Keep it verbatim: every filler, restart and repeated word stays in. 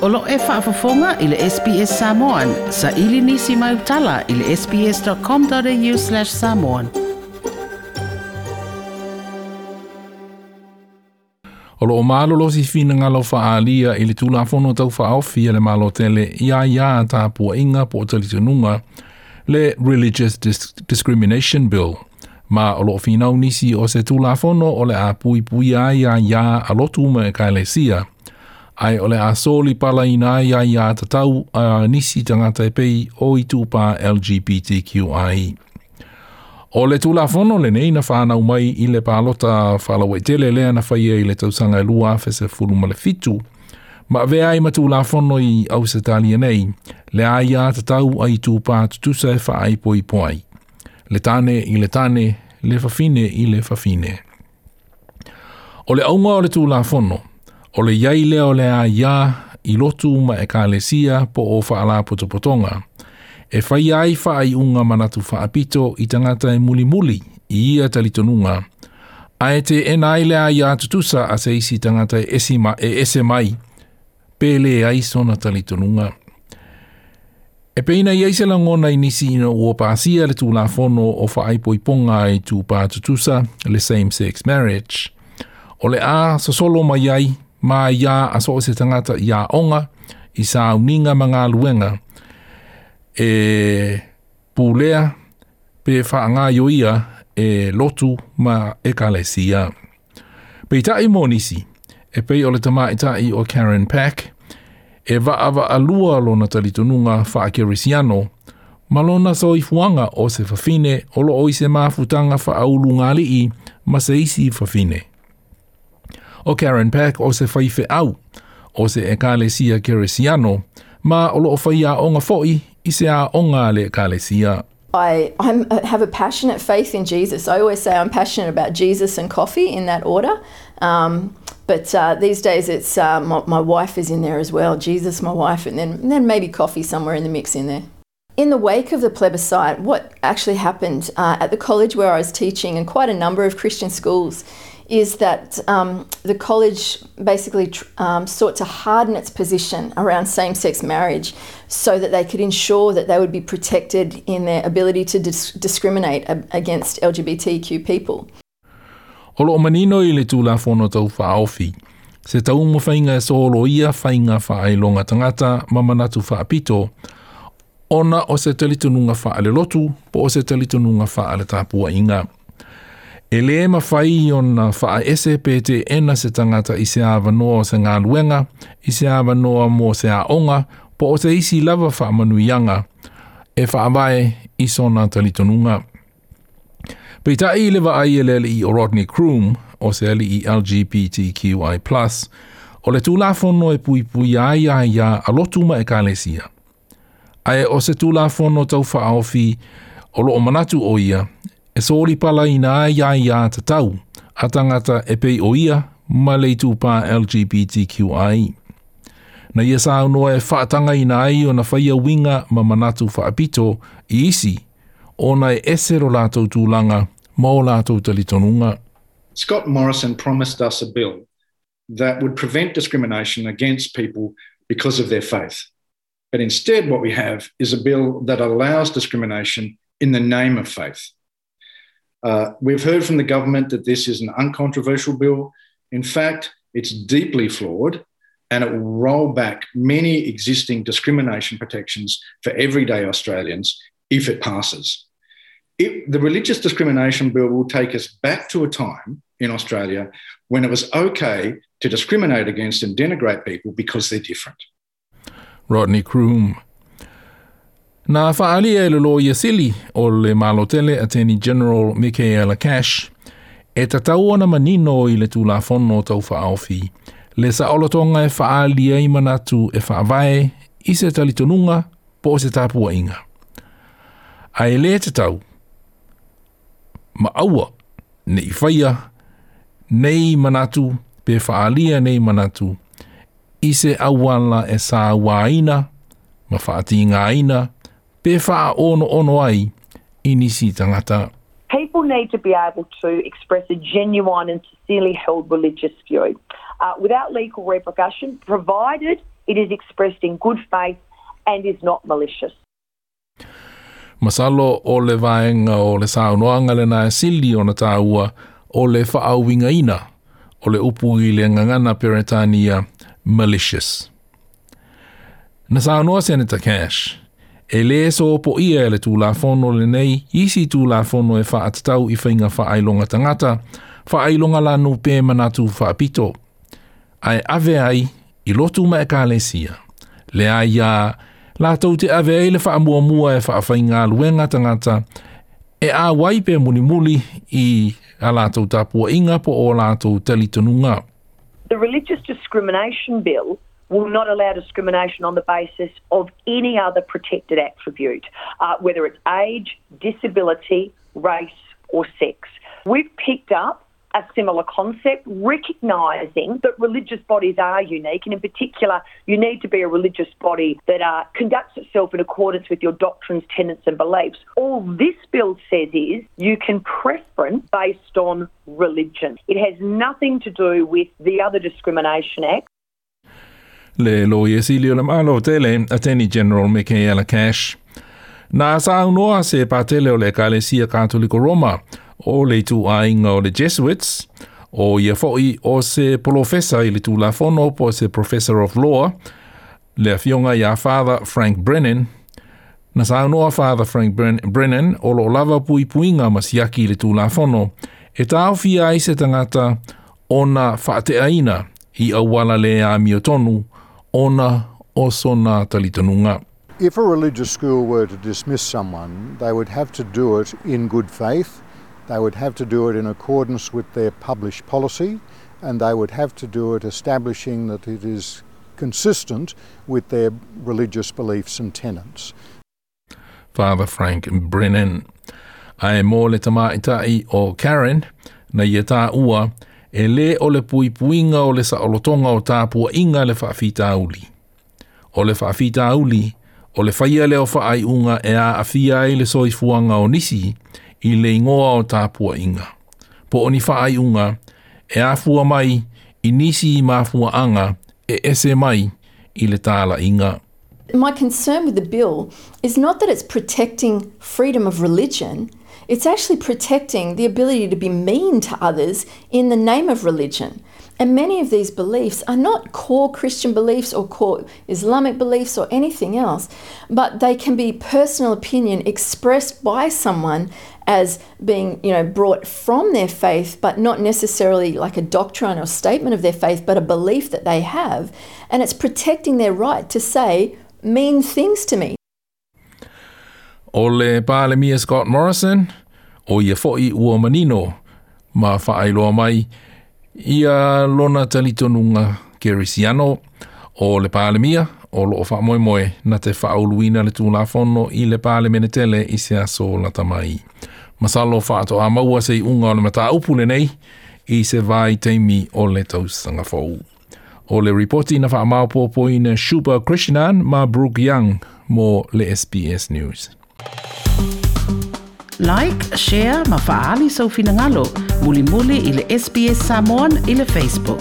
O lo e faafofoga i le S B S Samoan, saili nisi mai utala i le S B S dot com dot A U slash samoan. O lo o malolosi finagalo faaalia i le Tulafono Tau Faaofi a le Malo tele i aiā tapuaiga po o talitonuga, le Religious Dis Discrimination Bill, ma o lo o finau nisi o se Tulafono o le a puipuia ai aiā a lotu ma ekalesia, ae o le a solipalaina ai aiā tatau a nisi tagata e pei o itupa L G B T Q I. O le Tulafono lenei na whanau mai i le palota faalauaitele lea na faia i le tausaga e lua afe sefulu ma le fitu, ma avea ai ma Tulafono i Ausetalia nei, le aiā tatau a itupa tutusa e faaipoipo ai. Le tane i le tane, le fafine i le fafine. O le auga o le Tulafono, o le iai lea o le aiā i lotu ma ekalesia po o faalapotopotoga, e fai ai faaiuga manatu faapito i tagata e mulimuli i ia talitonuga, ae teena ai le aiā tutusa a se isi tagata e ese, ma, e ese mai, pe leai sona talitonuga. E pei ona i ai se lagona i nisi ina ua pasia le Tulafono o faaipoipoga a itupa tutusa, le same-sex marriage. O le a sosolo mai ai ma aiā a so o se tagata i aoga, i sauniga ma galuega, e pulea pe faagaioia e lotu ma ekalesia. Peitai mo nisi, e pei o le tamaitai o Karen Pack, e vaavaalua lona talitonuga faakerisiano ma lona soifuaga o se fafine o lo o i se mafutaga faaulugalii ma se isi fafine. O Karen Pack o se faifeau o se ekalesia kerisiano ma o lo o faiaoga foi i se aoga a le ekalesia. I I'm, have a passionate faith in Jesus. I always say I'm passionate about Jesus and coffee, in that order. Um, but uh, these days, it's uh, my, my wife is in there as well. Jesus, my wife, and then and then maybe coffee somewhere in the mix in there. In the wake of the plebiscite, what actually happened uh, at the college where I was teaching and quite a number of Christian schools is that um, the college basically tr- um, sought to harden its position around same sex marriage so that they could ensure that they would be protected in their ability to dis- discriminate a- against L G B T Q people. O lo o manino i le Tulafono Tau Faaofi, se taumafaiga e soloia faiga faailoga tagata ma manatu faapito, ona o se talitonuga faalelotu po o se talitonuga faaletapuaiga. E lē mafai ona faaese pe teena se tagata i se avanoa o se galuega, i se avanoa mo se aoga, po o se isi lava faamanuiaga, e faavae i sona talitonuga. Peitai i le vaai a le alii o Rodney Croome, o se alii L G B T Q I plus, o le Tulafono e puipui ai aiā a lotu ma ekalesia. Ae o se Tulafono Tau Faaofi o lo o manatu o ia, e solipalaina ai aiā tatau a tagata e pei o ia ma le itupa L G B T Q I. Na ia saunoa e faatagaina ai ona faia uiga ma manatu faapito i isi, ona e ese lo latou tulaga ma o latou talitonuga. Scott Morrison promised us a bill that would prevent discrimination against people because of their faith. But instead, what we have is a bill that allows discrimination in the name of faith. Uh, we've heard from the government that this is an uncontroversial bill. In fact, it's deeply flawed and it will roll back many existing discrimination protections for everyday Australians if it passes. It, the religious discrimination bill will take us back to a time in Australia when it was okay to discriminate against and denigrate people because they're different. Rodney Croome. Na faaalia e le Loia Sili o le Malotele, Attorney General Michaela Cash, e tatau ona manino i le Tulafono Tau Faaofi, le saolotoga e faaalia ai manatu e faavae i se talitonuga po o se tapuaiga. Ae le tatau, ma aua ne i faia nei manatu pe faaalia nei manatu i se auala e sauaina ma faatigaina pe faaonoono ai i nisi tagata. People need to be able to express a genuine and sincerely held religious view uh, without legal repercussion, provided it is expressed in good faith and is not malicious. Masalo o le vaenga o le saunoaga lena e sili ona tāua o le faauigaina o le upu i le gagana Peretania malicious. Na saunoa Senator Cash, e lē sopoia e le Tulafono lenei isi Tulafono e faatatau i faiga faailoga tagata, faailoga lanu pe manatu faapito. Ae ave ai i lotu ma ekalesia. Le aiā latou te ave ai le faamuamua e faafaigaluega tagata e auai pe mulimuli i a latou tapuaiga po o latou talitonuga. The Religious Discrimination Bill will not allow discrimination on the basis of any other protected attribute, uh, whether it's age, disability, race or sex. We've picked up a similar concept, recognising that religious bodies are unique, and in particular, you need to be a religious body that uh, conducts itself in accordance with your doctrines, tenets and beliefs. All this bill says is you can preference based on religion. It has nothing to do with the other Discrimination Act. Le Loia Sili o le Malo tele, Attorney General Michaela Cash. Na saunoa se patele o le Ekalesia Katoliko Roma, o le ituaiga o le Jesuits, o ia foʻi o se polofesa i le Tulafono po o se Professor of Law, le afioga iā Father Frank Brennan. Na saunoa Father Frank Brennan o loo lava puipuiga ma siaki i le Tulafono e taofia ai se tagata ona faateaina i auala le amiotonu ona o sona talitonuga. If a religious school were to dismiss someone, they would have to do it in good faith. They would have to do it in accordance with their published policy, and they would have to do it establishing that it is consistent with their religious beliefs and tenets. Father Frank Brennan. Ae mo le tamaitai o Karen, na ia tāua, e lē o le puipuiga o le saolotoga o tapuaiga le faafitauli. O le faafitauli, o le faia lea o faaiuga e aafia ai le soifuaga o nisi i le igoa o tapuaiga. Po o ni faaiuga e afua mai i nisi mafuaaga e ese mai i le talaiga. My concern with the bill is not that it's protecting freedom of religion, it's actually protecting the ability to be mean to others in the name of religion. And many of these beliefs are not core Christian beliefs or core Islamic beliefs or anything else, but they can be personal opinion expressed by someone as being, you know, brought from their faith, but not necessarily like a doctrine or statement of their faith, but a belief that they have. And it's protecting their right to say mean things to me. O le Palemia Scott Morrison, o ia foʻi ua manino ma faailoa mai ia lona talitonuga kerisiano o le Palemia o loo faamoemoe na te faauluina le Tulafono i le Palemene tele i se aso lata mai. Masalo faatoa maua se iuga o le mataupu lenei i se vaitaimi o le tausaga fou. O le ripoti na faamaopoopoina Shubha Krishnan ma Brooke Young mo le S B S News. Like, share ma faaali sou finagalo. Mulimuli i le S B S Samoan i le Facebook.